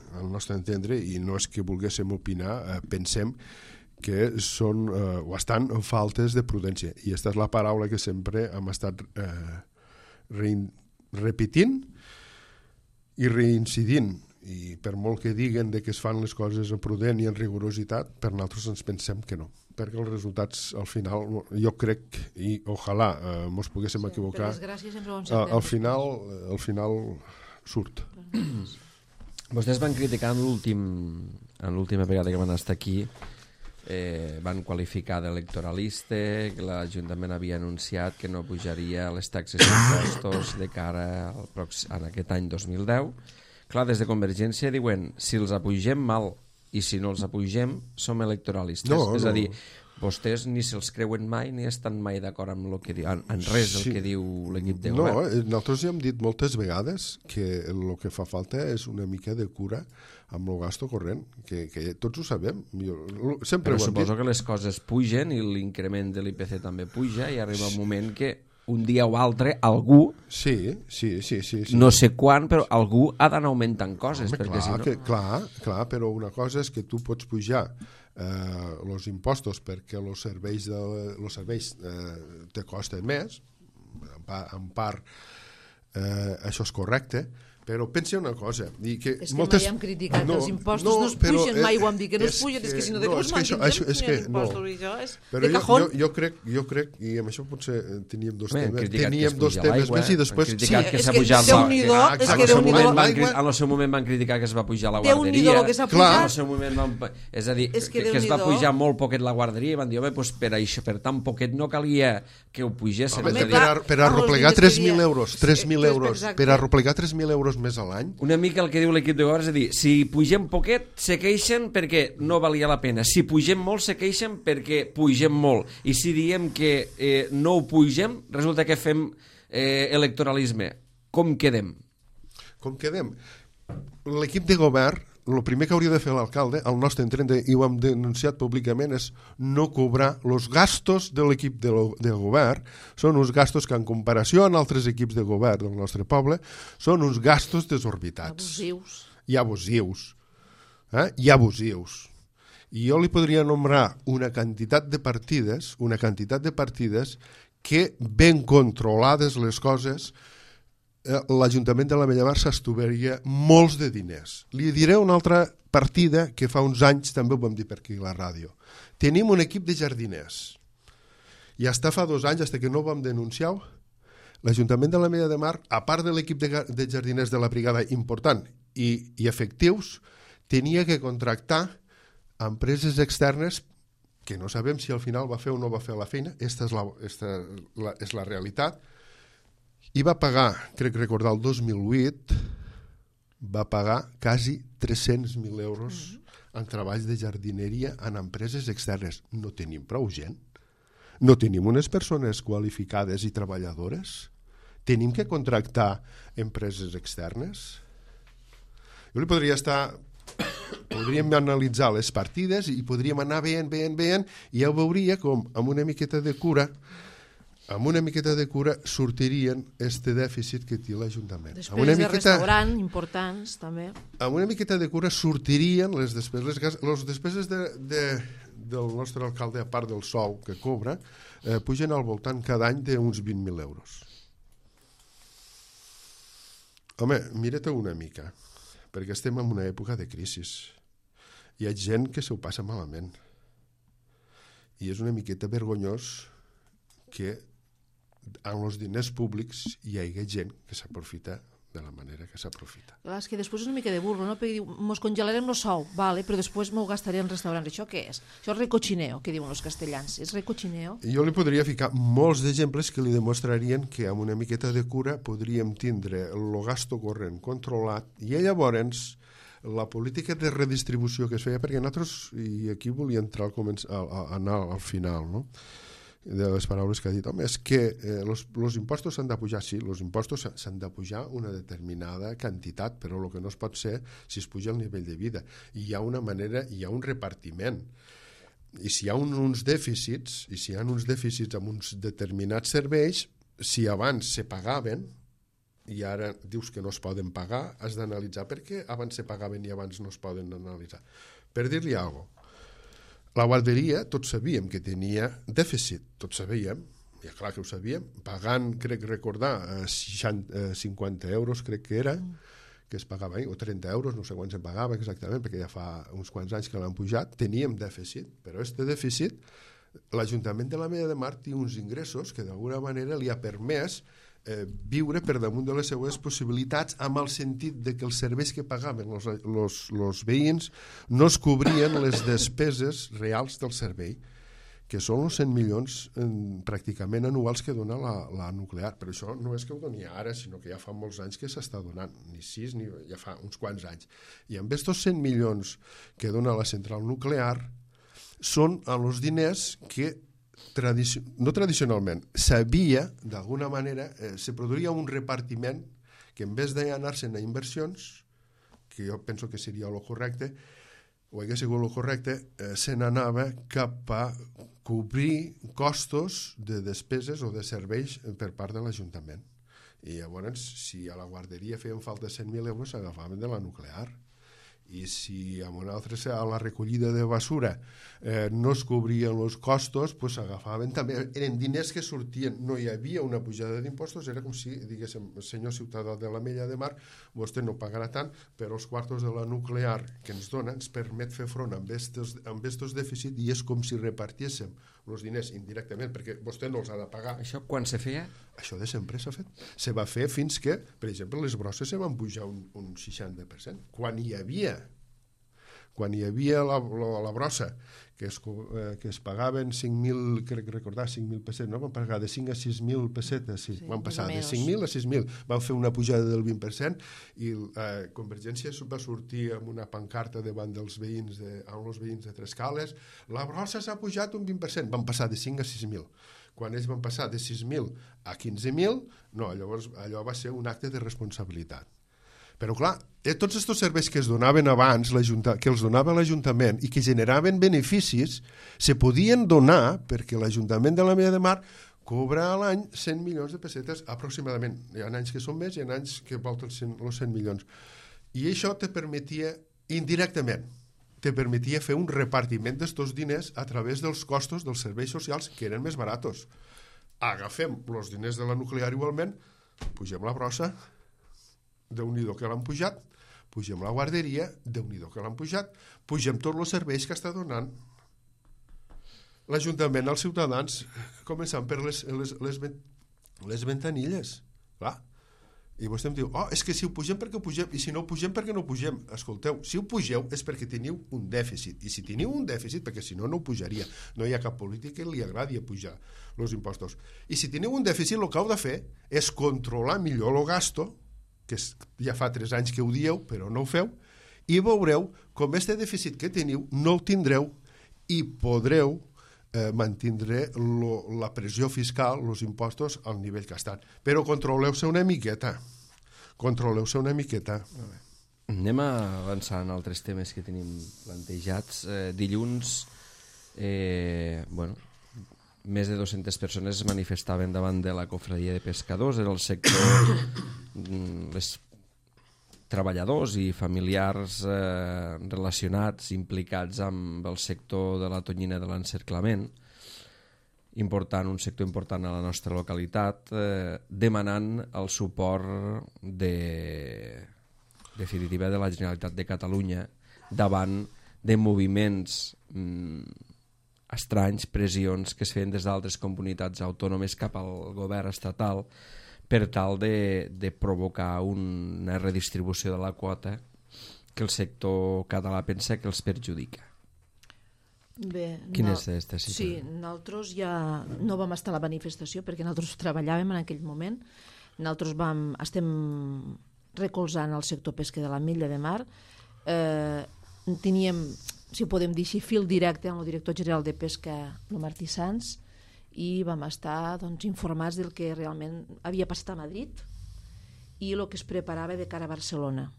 i no és que volguéssim opinar, pensem que són o estan en faltes de prudència. I aquesta és la paraula que sempre hem estat repetint i reincidint, i per molt que diguen que es fan les coses en prudent i en rigorositat, per nosaltres ens pensem que no, perquè els resultats al final, jo crec, i ojalà ens poguéssim equivocar, al final surt. Vostès van criticar en l'última vegada que van estar aquí, van qualificar d'electoralista, que l'Ajuntament havia anunciat que no pujaria les taxes i impostos de cara a aquest any 2010. Clar, des de Convergència diuen, si els apugem mal i si no els apugem, som electoralistes. És a dir, vostès ni se'ls creuen mai ni estan mai d'acord amb lo que en res del que diu l'equip de govern. No, nosaltres ja hem dit moltes vegades que el que fa falta és una mica de cura amb el gasto corrent, que tots ho sabem. Sempre però ho hem suposo dit. que les coses pugen i l'increment de l'IPC també puja i arriba un moment que un dia o altre algú, Sí. no sé quan, però algú ha d'anar augmentant coses. Home, perquè clar, si no... clar, però una cosa és que tu pots pujar els impostos perquè els serveis te costen més, en part això és correcte, però pensa una cosa. És que mai hem criticat que els impostos no es pugen, mai ho hem dit que no es pugen, és que si no de què els mantindrem impostos i això és de cajón. Jo crec, i amb això potser teníem dos Bé, temes, teníem dos temes més i després... criticat que és s'ha que pujat Déu-n'hi-do, és que Déu-n'hi-do. En el seu moment van criticar que es va pujar la Déu-n'hi-do guarderia. el que s'ha En pujat. el seu moment és a dir, És que que es va Déu-n'hi-do. pujar molt poquet la guarderia i van dir, home, doncs per això, per tan poquet no calia que ho pugessin. Home, És a dir, per arroplegar 3.000 euros, exacte. per arroplegar 3.000 euros més a l'any, una mica el que diu l'equip de govern és a dir, si pugem poquet se queixen perquè no valia la pena, si pugem molt se queixen perquè pugem molt, i si diem que no ho pugem resulta que fem electoralisme. Com quedem? com quedem? L'equip de govern, el primer que hauria de fer l'alcalde, al nostre entendre, i ho hem denunciat públicament, és no cobrar els gastos de l'equip de govern. Són uns gastos que, en comparació amb altres equips de govern del nostre poble, són uns gastos desorbitats. Abusius. I abusius. I abusius. I jo li podria nombrar una quantitat de partides que, ben controlades les coses, l'Ajuntament de la Bella Mar s'estovaria molts de diners. Li diré una altra partida que fa uns anys també ho vam dir per aquí a la ràdio. Tenim un equip de jardiners i fins fa 2 anys, fins que no ho vam denunciar, l'Ajuntament de la Bella de Mar, a part de l'equip de jardiners de la brigada important i efectius, tenia que contractar empreses externes que no sabem si al final va fer o no va fer la feina. Esta és la realitat. I va pagar, crec recordar, el 2008, va pagar quasi 300.000 euros en treballs de jardineria en empreses externes. No tenim prou gent. No tenim unes persones qualificades i treballadores. Tenim que contractar empreses externes. Jo li podria podríem analitzar les partides i podríem anar veient, i ja veuria com amb una miqueta de cura sortirien este dèficit que té l'Ajuntament. Despeses de restaurant, importants, també. Amb una miqueta de cura sortirien les despeses. Les despeses del nostre alcalde, a part del sou que cobra, pugen al voltant cada any d'uns 20.000 euros. Home, mira-te una mica, perquè estem en una època de crisi. Hi ha gent que s'ho passa malament. I és una miqueta vergonyós que amb els diners públics hi hagi gent que s'aprofita de la manera que s'aprofita. Clar, és que després és una mica de burro, no? Perquè diu, mos congelarem el sou, vale, però després m'ho gastaré en restaurants. Això què és? Això és recochineo, que diuen els castellans. És recochineo? Jo li podria ficar molts d'exemples que li demostrarien que amb una miqueta de cura podríem tindre el gasto corrent controlat i llavors la política de redistribució que es feia, perquè nosaltres, i aquí volia entrar anar al final, no?, de les paraules que ha dit, home, és que els impostos s'han de pujar, sí, els impostos s'han de pujar una determinada quantitat, però el que no es pot ser si es puja el nivell de vida. I hi ha una manera, hi ha un repartiment. I si hi ha uns dèficits, amb uns determinats serveis, si abans se pagaven, i ara dius que no es poden pagar, has d'analitzar per què abans se pagaven i abans no es poden analitzar. Per dir-li alguna cosa, la guarderia tots sabíem que tenia dèficit, tots sabíem, i clar que ho sabíem, pagant, crec recordar, 50 euros crec que era, que es pagava, o 30 euros, no sé quan se pagava exactament, perquè ja fa uns quants anys que l'han pujat, teníem dèficit, però aquest dèficit, l'Ajuntament de la Bella de Mar té uns ingressos que d'alguna manera li ha permès viure per damunt de les seues possibilitats, amb el sentit de que els serveis que pagaven els veïns no es cobrien les despeses reals del servei, que són els 100 milions pràcticament anuals que dona la nuclear. Però això no és que ho doni ara, sinó que ja fa molts anys que s'està donant, ni 6, ni ja fa uns quants anys. I amb aquests 100 milions que dona la central nuclear, són els diners que no tradicionalment, s'havia, d'alguna manera, se produïa un repartiment que en vez d'anar-se'n a inversions, que jo penso que seria el correcte, o hagués sigut el correcte, se n'anava cap a cobrir costos de despeses o de serveis per part de l'Ajuntament. I llavors, si a la guarderia feien falta 100.000 euros, s'agafaven de la nuclear. I si a una altra, a la recollida de basura no es cobrien els costos, pues s'agafaven també. Eren diners que sortien, no hi havia una pujada d'impostos, era com si diguéssim, senyor ciutadà de l'Ametlla de Mar, vostè no pagarà tant, però els quartos de la nuclear que ens dona ens permet fer front amb estos dèficits i és com si repartíssim els diners indirectament, perquè vostè no els ha de pagar. Això quan se feia? Això de sempre s'ha fet. Se va fer fins que, per exemple, les brosses se van pujar un 60%. Quan hi havia la brossa, que es pagaven 5.000, crec recordar, 5.000 pessetes, no? Van pagar de 5 a 6.000 pessetes, sí. Van passar de 5.000 a 6.000, van fer una pujada del 20% i Convergència va sortir amb una pancarta davant dels veïns de Trescales, la brossa s'ha pujat un 20%, van passar de 5 a 6.000. Quan ells van passar de 6.000 a 15.000, no, llavors allò va ser un acte de responsabilitat. Però clar, tots aquests serveis que es donaven abans, que els donava l'Ajuntament i que generaven beneficis, se podien donar perquè l'Ajuntament de l'Ametlla de Mar cobra a l'any 100 milions de pessetes aproximadament. Hi ha anys que són més i hi ha anys que volten els 100 milions. I això te permetia, indirectament, fer un repartiment d'estos diners a través dels costos dels serveis socials que eren més baratos. Agafem els diners de la nuclear igualment, pugem la brossa, Déu-n'hi-do que l'han pujat, pugem la guarderia, Déu-n'hi-do que l'han pujat, pugem tots els serveis que està donant l'Ajuntament als ciutadans, començant per les ventanilles. Clar. I vostè em diu, és que si ho pugem perquè ho pugem, i si no ho pugem perquè no ho pugem. Escolteu, si ho pugeu és perquè teniu un dèficit, i si teniu un dèficit, perquè si no, no ho pujaria. No hi ha cap política que li agradi pujar els impostos. I si teniu un dèficit, el que heu de fer és controlar millor el gasto, que ja fa 3 anys que ho dieu, però no ho feu, i veureu com este dèficit que teniu no el tindreu i podreu mantindre la pressió fiscal, els impostos, al nivell que estan. Però controleu-se una miqueta. Anem a avançar en altres temes que tenim plantejats. Dilluns, més de 200 persones es manifestaven davant de la cofradia de pescadors, era el sector, les treballadors i familiars relacionats, implicats amb el sector de la tonyina de l'encerclament, un sector important a la nostra localitat, demanant el suport definitiva de la Generalitat de Catalunya davant de moviments estranys, pressions que es feien des d'altres comunitats autònomes cap al govern estatal per tal de provocar una redistribució de la quota que el sector català pensa que els perjudica. Bé, Quina és aquesta situació? Sí, nosaltres ja no vam estar a la manifestació perquè nosaltres treballàvem en aquell moment. Nosaltres estem recolzant el sector pesca de l'Ametlla de Mar. Teníem, si ho podem dir així, fil directe amb el director general de pesca, el Martí Sans, i vam estar informats del que realment havia passat a Madrid i el que es preparava de cara a Barcelona.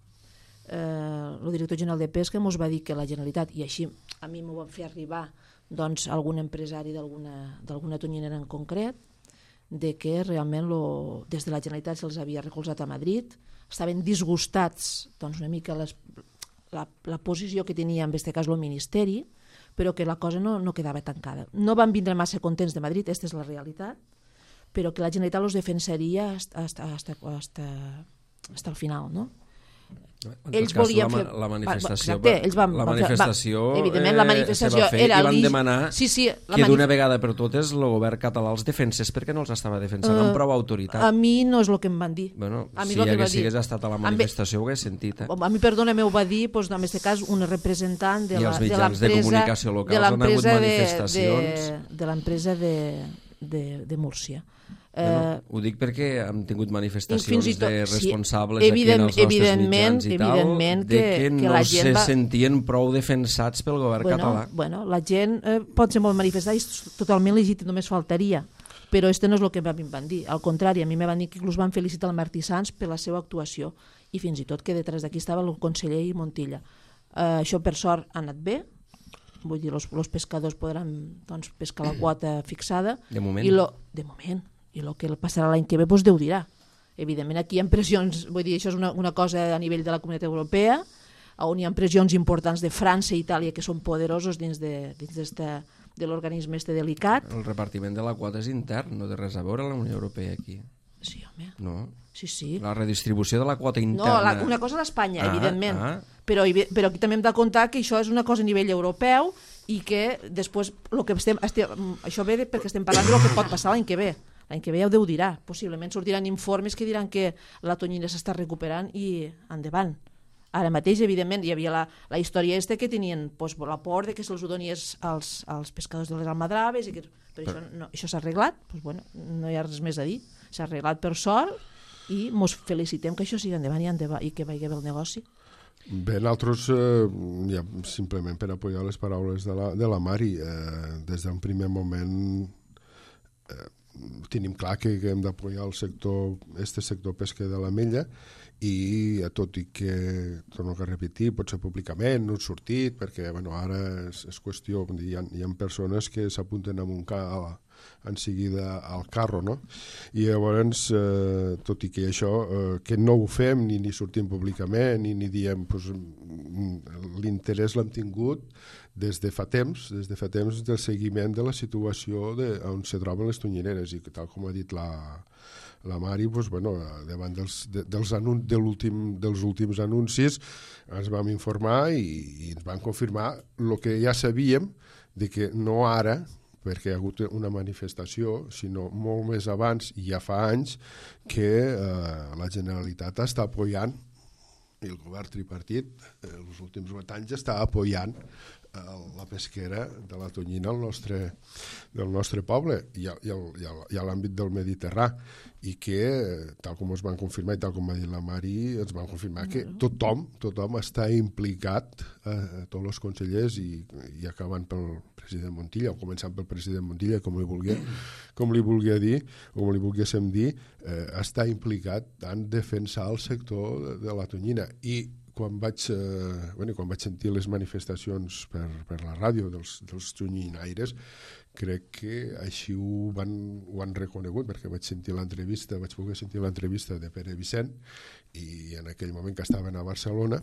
El director general de pesca ens va dir que la Generalitat, i així a mi m'ho van fer arribar algun empresari d'alguna tonyinera en concret, de que realment des de la Generalitat se'ls havia recolzat a Madrid, estaven disgustats una mica la posició que tenia en aquest cas el Ministeri, però que la cosa no quedava tancada. No van vindre massa contents de Madrid, aquesta és la realitat, però que la Generalitat els defensaria hasta el final, no? Ells volien fer la manifestació, evidentment la manifestació era i van demanar que d'una vegada per totes el govern català els defensés perquè no els estava defensant amb prou autoritat. A mi no és el que em van dir. Si hagués estat a la manifestació ho hagués sentit. A mi, perdona, m'ho va dir en aquest cas una representant de els mitjans de comunicació locals on ha hagut manifestacions de l'empresa de Múrcia. Ho dic perquè hem tingut manifestacions de responsables sí, aquí en els nostres mitjans i tal, que no se sentien prou defensats pel govern català. Bueno, la gent pot ser molt manifestada i és totalment legítim, només faltaria. Però este no és el que a mi em van dir. Al contrari, a mi me van dir que inclús van felicitar el Martí Sans per la seva actuació i fins i tot que detrás d'aquí estava el conseller i Montilla. Això per sort ha anat bé, vull dir, els pescadors podran pescar la quota fixada. De moment. De moment. I el que passarà l'any que ve Déu dirà. Evidentment aquí hi ha pressions, vull dir, això és una cosa a nivell de la Comunitat Europea, on hi ha pressions importants de França i Itàlia que són poderosos dins de l'organisme delicat. El repartiment de la quota és intern, no té res a veure la Unió Europea aquí. Sí, home. No. Sí. La redistribució de la quota interna... No, una cosa és l'Espanya, evidentment. Però aquí també hem de comptar que això és una cosa a nivell europeu i que després això ve perquè estem parlant del que pot passar l'any que ve. L'any que ve ja ho Déu dirà. Possiblement sortiran informes que diran que la tonyina s'està recuperant i endavant. Ara mateix, evidentment, hi havia la història que tenien la por de que se'ls ho donies als pescadors de les almadraves, però això s'ha arreglat, no hi ha res més a dir. S'ha arreglat per sort i ens felicitem que això sigui endavant i que vagi bé el negoci. Bé, nosaltres, ja, simplement per apoyar les paraules de la Mari, des d'un primer moment tenim clar que hem d'apoyar el sector pesquer de l'Ametlla i tot i que, torno a repetir, potser públicament no ha sortit perquè ara és qüestió, hi ha persones que s'apunten amb un en seguida al carro, no? I llavors, tot i que això, que no ho fem ni sortim públicament ni diem, l'interès l'hem tingut des de fa temps del seguiment de la situació on se troben les tonyineres i que tal com ha dit la Mari, davant dels últims anuncis ens vam informar i ens van confirmar el que ja sabíem de que no ara, perquè hi ha hagut una manifestació, sinó molt més abans i ja fa anys que la Generalitat està apoyant i el govern tripartit els últims 8 anys està apoyant la pesquera de la tonyina del nostre poble i a l'àmbit del Mediterrà i que, tal com es van confirmar i tal com va dir la Mari, ens van confirmar que tothom està implicat, tots els consellers i acabant pel president Montilla, o començant pel president Montilla, com li volguéssim dir, està implicat en defensar el sector de la tonyina. I quan vaig sentir les manifestacions per la ràdio dels tonyinaires, crec que així ho han reconegut, perquè vaig poder sentir l'entrevista de Pere Vicent i en aquell moment que estaven a Barcelona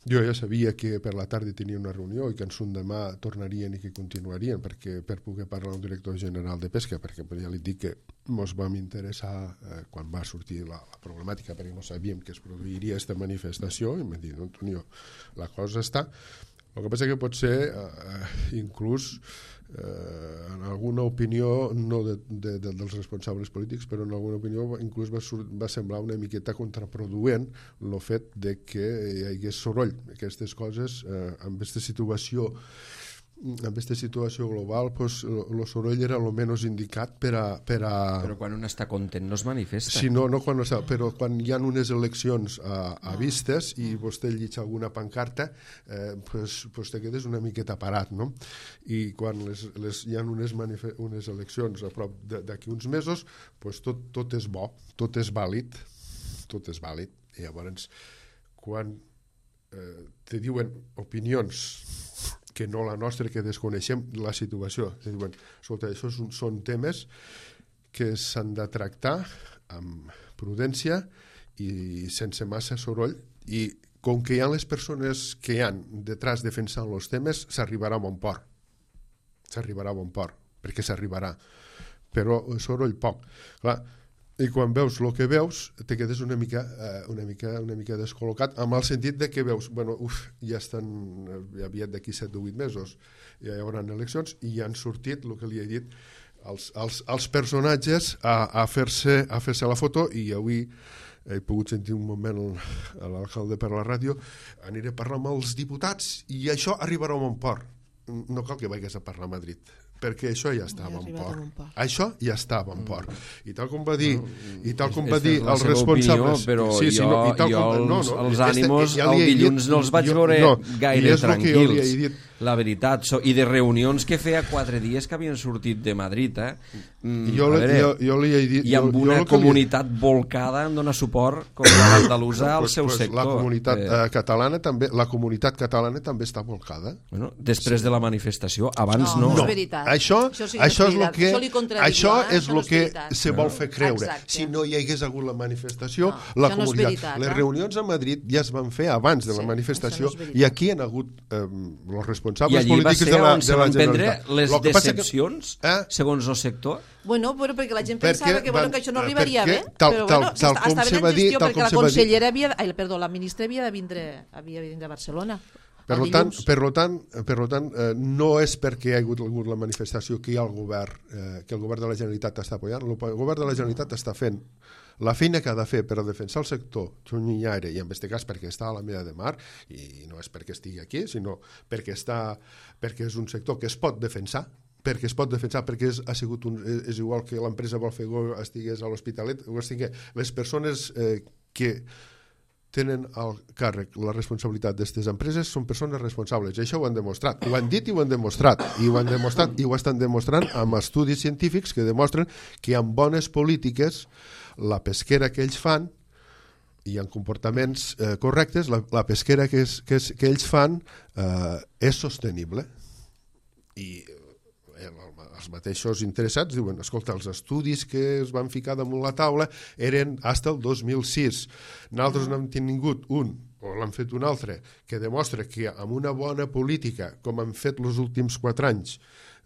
jo ja sabia que per la tarda tenia una reunió i que en demà tornarien i que continuarien per poder parlar amb el director general de Pesca, perquè ja li dic que ens vam interessar quan va sortir la problemàtica, perquè no sabíem que es produiria aquesta manifestació i m'han dit, no, Antonio, la cosa està. El que passa que pot ser inclús en alguna opinió, no dels responsables polítics, però en alguna opinió inclús va semblar una miqueta contraproduent el fet de que hi hagués soroll. Aquestes coses, amb aquesta situació global, el soroll era el menys indicat per a... Però quan un està content no es manifesta. Sí, no quan està, però quan hi ha unes eleccions a vistes i vostè llig alguna pancarta, te quedes una miqueta parat, no? I quan hi ha unes eleccions a prop d'aquí uns mesos, tot és bo, tot és vàlid. I llavors, quan te diuen opinions que no la nostra, que desconeixem la situació. Diuen, escolta, això són temes que s'han de tractar amb prudència i sense massa soroll, i com que hi ha les persones que hi han detrás defensant els temes, s'arribarà a bon port. Perquè s'arribarà. Però soroll poc. Clar, i quan veus el que veus te quedes una mica descol·locat, amb el sentit de que veus ja estan aviat d'aquí 7 o 8 mesos ja hi haurà eleccions i ja han sortit el que li he dit els personatges a fer-se la foto. I avui he pogut sentir un moment l'alcalde per la ràdio, aniré a parlar amb els diputats i això arribarà a bon port. No cal que vagis a parlar a Madrid, perquè això ja estava en arribat en un port. port. Això ja estava en port. I tal com va dir, la els seva responsables... opinió, però jo els ànimos el dilluns no els vaig veure gaire tranquils. La veritat, i de reunions que feia 4 dies que havien sortit de Madrid, jo li he dit... I amb una comunitat volcada em dona suport com l'andalusa al seu sector. La comunitat catalana també està volcada. Bueno, després de la manifestació, abans no. No és veritat. Això és el que se vol fer creure. Exacte. Si no hi hagués hagut la manifestació, la comunitat... Les reunions a Madrid ja es van fer abans de la manifestació i aquí hi ha hagut els responsables polítics de la Generalitat. I allí va ser on se van prendre les decepcions, segons el sector? Bueno, però perquè la gent pensava que això no arribaria bé, però estava en gestió perquè la consellera la ministra havia de vindre a Barcelona. Per tant, no és perquè hi ha hagut la manifestació que hi ha el govern, que el govern de la Generalitat està apoyant. El govern de la Generalitat està fent la feina que ha de fer per a defensar el sector xunyinyare, i en aquest cas perquè està a la Mella de Mar, i no és perquè estigui aquí, sinó perquè és un sector que es pot defensar, perquè és igual que l'empresa Volfego estigués a l'Hospitalet, les persones que tenen al càrrec la responsabilitat d'aquestes empreses són persones responsables, i això ho han demostrat, ho han dit i ho han demostrat, i ho estan demostrant amb estudis científics que demostren que amb bones polítiques la pesquera que ells fan i en comportaments correctes, la pesquera que ells fan és sostenible. I els mateixos interessats diuen, escolta, els estudis que es van ficar damunt la taula eren fins al 2006. Nosaltres n'hem tingut un, o l'han fet un altre, que demostra que amb una bona política, com han fet els últims 4 anys,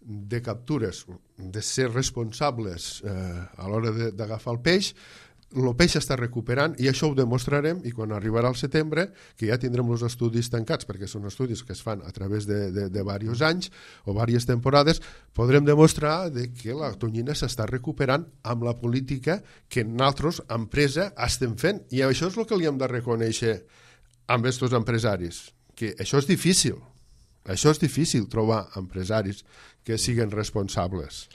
de captures, de ser responsables a l'hora d'agafar el peix està recuperant, i això ho demostrarem, i quan arribarà el setembre, que ja tindrem els estudis tancats, perquè són estudis que es fan a través de diversos anys o diverses temporades, podrem demostrar que la tonyina s'està recuperant amb la política que nosaltres, empresa, estem fent. I això és el que li hem de reconèixer amb aquests empresaris, que això és difícil. Això és difícil, trobar empresaris que siguin responsables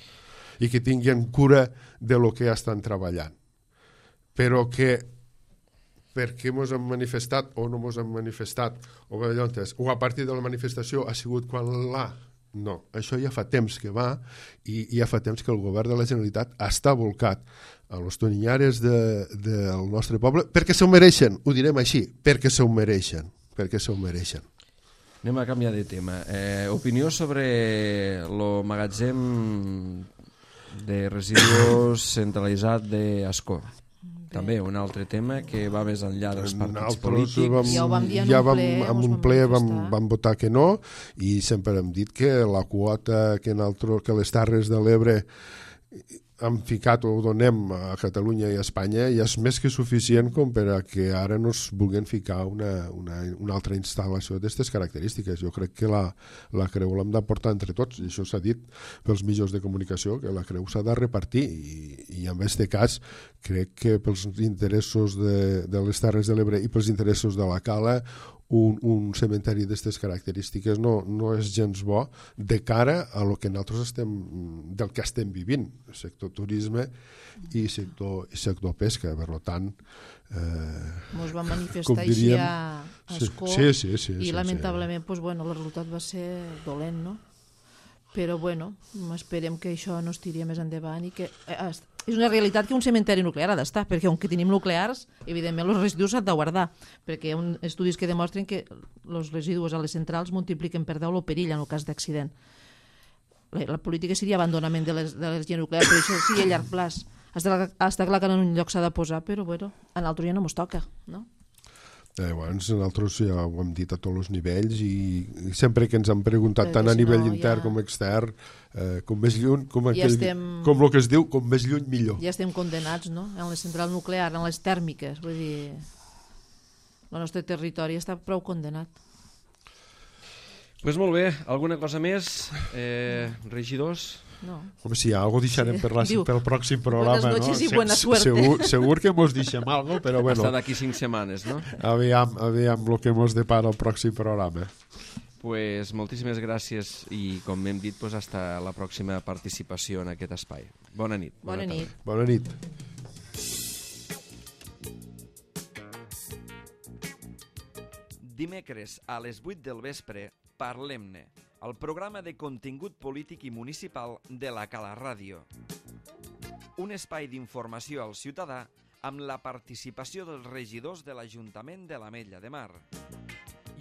i que tinguin cura de lo que estan treballant. Però que perquè ens hem manifestat o no ens hem manifestat o a partir de la manifestació ha sigut quan no, això ja fa temps que va, i ja fa temps que el govern de la Generalitat està volcat a los toninyares del nostre poble perquè s'ho mereixen, ho direm així, perquè s'ho mereixen. Anem a canviar de tema. Opinió sobre el magatzem de residus centralitzat d'Ascó. També un altre tema que va més enllà dels partits polítics. Ja ho vam dir en un ple, vam votar que no, i sempre hem dit que la quota que les Terres de l'Ebre hem ficat o donem a Catalunya i a Espanya ja és més que suficient com per a que ara no es vulguin ficar una altra instal·lació d'aquestes característiques. Jo crec que la creu l'hem de portar entre tots, i això s'ha dit pels mitjans de comunicació, que la creu s'ha de repartir, i en aquest cas crec que pels interessos de les Terres de l'Ebre i pels interessos de la Cala un cementeri d'aquestes característiques no és gens bo de cara a lo que nosaltres del que estem vivint, sector turisme i sector pesca. Per tant, ens vam manifestar així a Ascó, i lamentablement el resultat va ser dolent, no? Però esperem que això no es tiri més endavant, i que és una realitat que un cementeri nuclear ha d'estar, perquè on tenim nuclears, evidentment els residus s'han de guardar, perquè hi ha estudis que demostren que els residus a les centrals multipliquen per 10 el perill en el cas d'accident. La política seria abandonament de l'energia nuclear, però això sí a llarg plaç. Està clar que en un lloc s'ha de posar, però a l'altre ja no mos toca, no? Nosaltres ja ho hem dit a tots els nivells, i sempre que ens han preguntat tant a nivell intern com extern, com més lluny, com el que es diu, com més lluny millor. Ja estem condenats, no? En la central nuclear, en les tèrmiques, vull dir, el nostre territori està prou condenat. Doncs molt bé, alguna cosa més, regidors? No. Home, si algo deixarem pel pròxim programa, buenas noches y buena suerte. Segur que mos deixem algo, però bueno. Hasta d'aquí 5 setmanes, no? Aviam el que mos depara el pròxim programa. Pues moltíssimes gràcies i, com hem dit, pues hasta la pròxima participació en aquest espai. Bona nit. Bona nit. Bona nit. Dimecres a les 8 del vespre, Parlem-ne, el programa de contingut polític i municipal de la Cala Ràdio. Un espai d'informació al ciutadà amb la participació dels regidors de l'Ajuntament de l'Ametlla de Mar.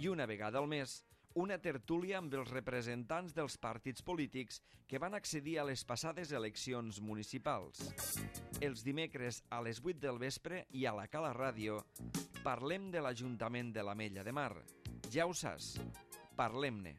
I una vegada al mes, una tertúlia amb els representants dels partits polítics que van accedir a les passades eleccions municipals. Els dimecres a les 8 del vespre i a la Cala Ràdio parlem de l'Ajuntament de l'Ametlla de Mar. Ja ho saps, parlem-ne.